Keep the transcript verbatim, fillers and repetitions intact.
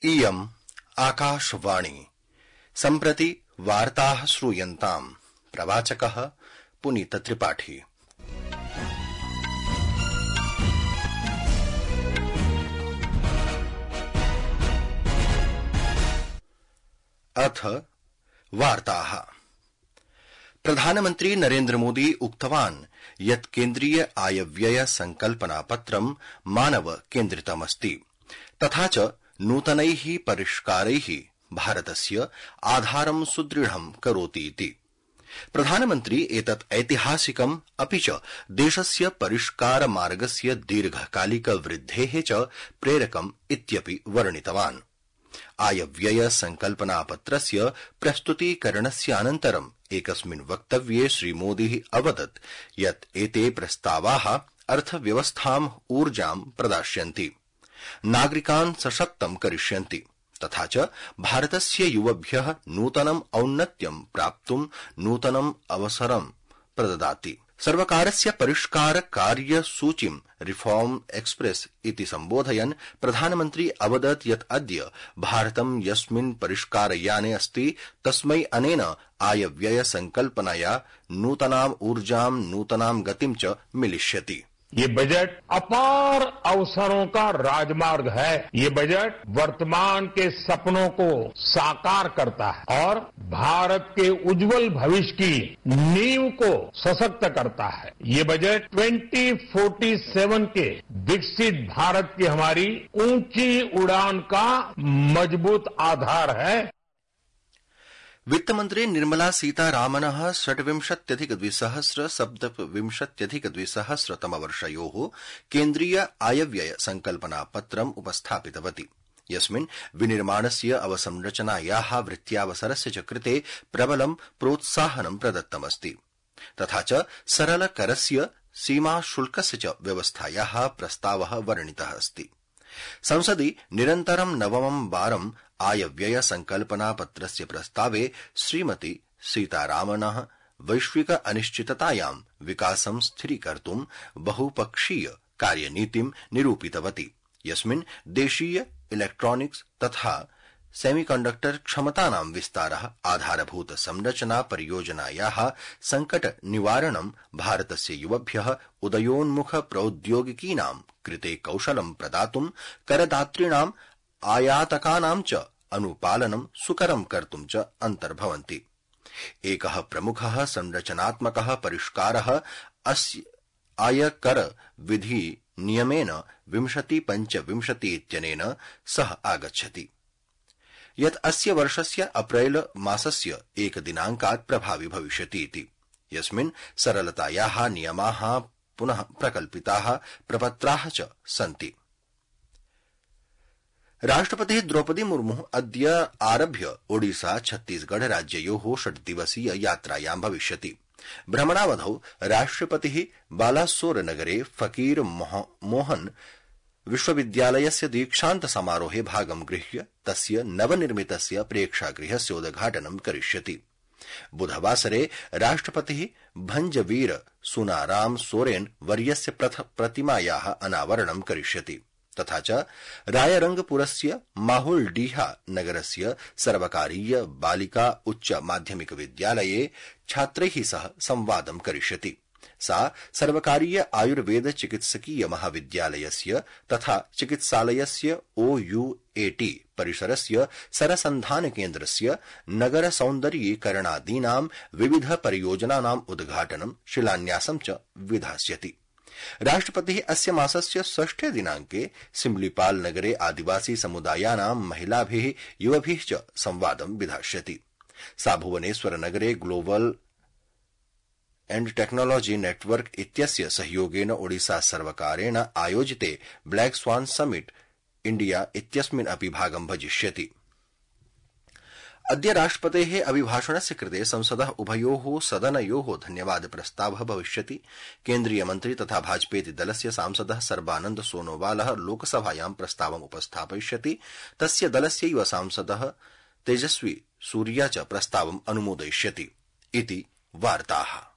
इयम् आकाशवाणी सम्प्रति वार्ताः श्रूयन्ताम् प्रवाचकः पुनीत त्रिपाठी। अथ वार्ताः। प्रधानमन्त्री नरेन्द्र मोदी उक्तवान् यत् केन्द्रीय आयव्यय संकल्पनापत्रं मानव केन्द्रितमस्ति तथा च नूतनैः परिष्कारैः भारतस्य आधारं सुदृढं करोतीति। प्रधानमन्त्री एतत् ऐतिहासिकम् अपि च देशस्य परिष्कार मार्गस्य दीर्घकालिक वृद्धेः च प्रेरकम् इत्यपि वर्णितवान्। आयव्यय संकल्पनापत्रस्य प्रस्तुतीकरणस्य अनन्तरम् एकस्मिन् वक्तव्ये श्रीमोदी अवदत् यत् एते प्रस्तावाः अर्थव्यवस्थाम् ऊर्जां प्रदास्यन्ति, नागरिकान् सशक्तं करिष्यन्ति तथा च भारतस्य युवभ्यः नूतनम् औन्नत्यं प्राप्तुं नूतनम् अवसरं प्रददाति। सर्वकारस्य परिष्कार कार्यसूचीं रिफॉर्म एक्सप्रेस इति सम्बोधयन् प्रधानमन्त्री अवदत् यत् अद्य भारतं यस्मिन् परिष्कारयाने अस्ति तस्मै अनेन आयव्यय संकल्पनया नूतनाम् ऊर्जां नूतनां गतिं च मिलिष्यति। ये बजट अपार अवसरों का राजमार्ग है। ये बजट वर्तमान के सपनों को साकार करता है और भारत के उज्जवल भविष्य की नींव को सशक्त करता है। ये बजट ट्वेंटी फोर्टी सेवन के विकसित भारत की हमारी ऊंची उड़ान का मजबूत आधार है। वित्तमन्त्री निर्मला सीतारामनः षड्विंशत्यधिक द्विसहस्र सप्तविंशत्यधिक द्विसहस्र तमवर्षयोः केन्द्रीय आयव्यय संकल्पनापत्रम् उपस्थापितवती, यस्मिन् विनिर्माणस्य अवसंरचनायाः वृत्त्यावसरस्य च कृते प्रबलं प्रोत्साहनं प्रदत्तमस्ति तथा च सरलकरस्य सीमाशुल्कस्य च व्यवस्थायाः प्रस्तावः वर्णितः अस्ति। संसदि निरन्तरं नवमं वारं आयव्यय संकल्पनापत्रस्य प्रस्तावे श्रीमती सीतारामनः वैश्विक अनिश्चिततायां विकासं स्थिरीकर्तुं बहुपक्षीय कार्यनीतिं निरूपितवती, यस्मिन् देशीय इलेक्ट्रॉनिक्स तथा सेमीकंडक्टर क्षमतानां विस्तारः, आधारभूत संरचना परियोजनायाः संकट निवारणं, भारतस्य युवभ्यः उदयोन्मुख प्रौद्योगिकीनां कृते कौशलं प्रदातुं, करदातॄणां आयातकानां च अनुपालनं सुकरं कर्तुं च अन्तर्भवन्ति। एकः प्रमुखः संरचनात्मकः परिष्कारः अस्य आयकर विधि नियमेन विंशति पंचविंशति इत्यनेन सह आगच्छति, यत् अस्य वर्षस्य अप्रैल मासस्य एकदिनाङ्कात् प्रभावि भविष्यति इति, यस्मिन् सरलतायाः नियमाः पुनः प्रकल्पिताः प्रपत्राः च सन्ति। राष्ट्रपतिः द्रौपदी मुर्मुः अद्य आरभ्य ओडिशा छत्तीसगढ़ राज्ययोः षड्दिवसीय यात्रायां भविष्यति। भ्रमणावधौ राष्ट्रपतिः बालासोर नगरे फकीर मोहन विश्वविद्यालयस्य दीक्षान्त समारोहे भागं गृह्य तस्य नवनिर्मितस्य प्रेक्षागृहस्य उद्घाटनं करिष्यति। बुधवासरे राष्ट्रपतिः भंजवीर सुनाराम सोरेन वर्यस्य प्रतिमायाः अनावरणं करिष्यति तथा च रायरंगपुरस्य माहुलडीहा नगरस्य सर्वकारीय बालिका उच्च माध्यमिक विद्यालये छात्रैः सह संवादं करिष्यति। सा सर्वकारीय आयुर्वेद चिकित्सकीय महाविद्यालयस्य तथा चिकित्सालयस्य ओयूएटी परिसरस्य सरसन्धान केन्द्रस्य नगर सौन्दर्यीकरणादीनां विविध परियोजनानाम् उद्घाटनं शिलान्यासं च विधास्यति। राष्ट्रपतिः अस्य मासस्य षष्ठे दिनाङ्के सिमलीपाल नगरे आदिवासी समुदायानां महिलाभिः युवभिः च संवादं विधास्यति। सा भुवनेश्वर नगरे ग्लोबल एंड टेक्नोलॉजी नेटवर्क इत्यस्य सहयोगेन ओडिशा सर्वकारेण आयोजिते ब्लैक स्वान समिट इंडिया इत्यस्मिन् अपि भागं भजिष्यति। अद्य राष्ट्रपतेः अभिभाषणस्य कृते संसदः उभयोः सदनयोः धन्यवाद प्रस्तावः भविष्यति। केन्द्रीय मन्त्री तथा भाजपेति दलस्य सांसदः सर्बानन्द सोनोवालः लोकसभायां प्रस्तावम् उपस्थापयिष्यति। तस्य दलस्यैव सांसदः तेजस्वी सूर्या च प्रस्तावम् अनुमोदयिष्यति इति वार्ताः।